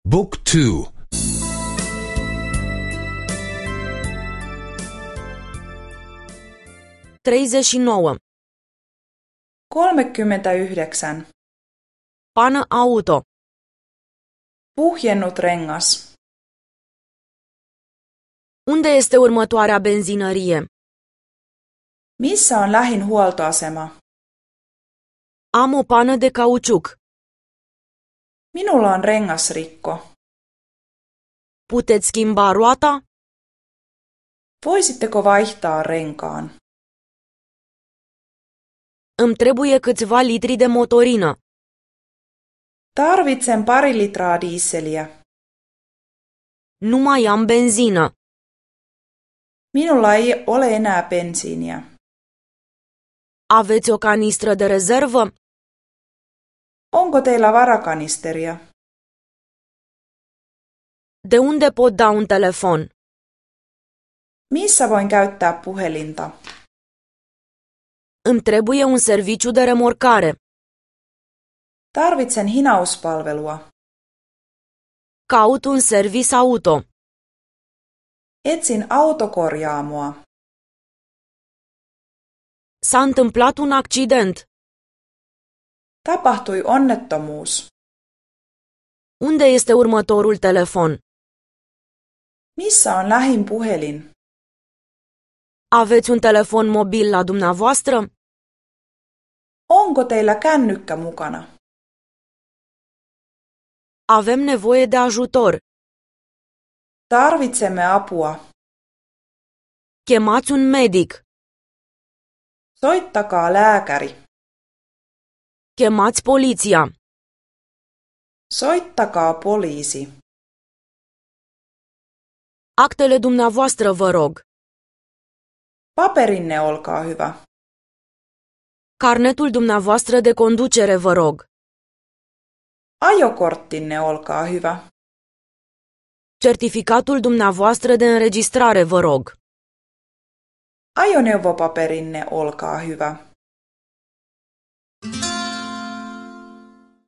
Book 2. 39. 39. Pană auto. Puhjennut rengas. Unde este următoarea benzinărie? Missä on lähin huoltoasema? Am o pană de cauciuc. Minulla on rengasrikko. Puteți schimba roata? Voisitteko vaihtaa renkaan? Îmi trebuie câțiva litri de motorină. Tarvitsen 2 litraa diisseliä. Nu mai am benzină. Minulla ei ole enää bensiiniä. Aveți o canistră de rezervă? Onko teillä varakanisteria? De unde pot da un telefon? Missä voin käyttää puhelinta? Îmi trebuie un serviciu de remorcare. Tarvitsen hinauspalvelua. Caut un servis auto. Etsin autokorjaamoa. S-a întâmplat un accident. Tapahtui onnettomuus. Unde este următorul telefon? Missä on lähin puhelin? Aveți un telefon mobil la dumneavoastră? Onko teillä kännykkä mukana? Avem nevoie de ajutor. Tarvitsemme apua. Chemați un medic. Soittakaa lääkäri. Chemați poliția. Soittakaa poliisi. Actele dumneavoastră, vă rog. Paperinne, olkaa hyvä. Carnetul dumneavoastră de conducere, vă rog. Ajokorttinne, olkaa hyvä. Certificatul dumneavoastră de înregistrare, vă rog. Ajoneuvopaperinne, olkaa hyvä.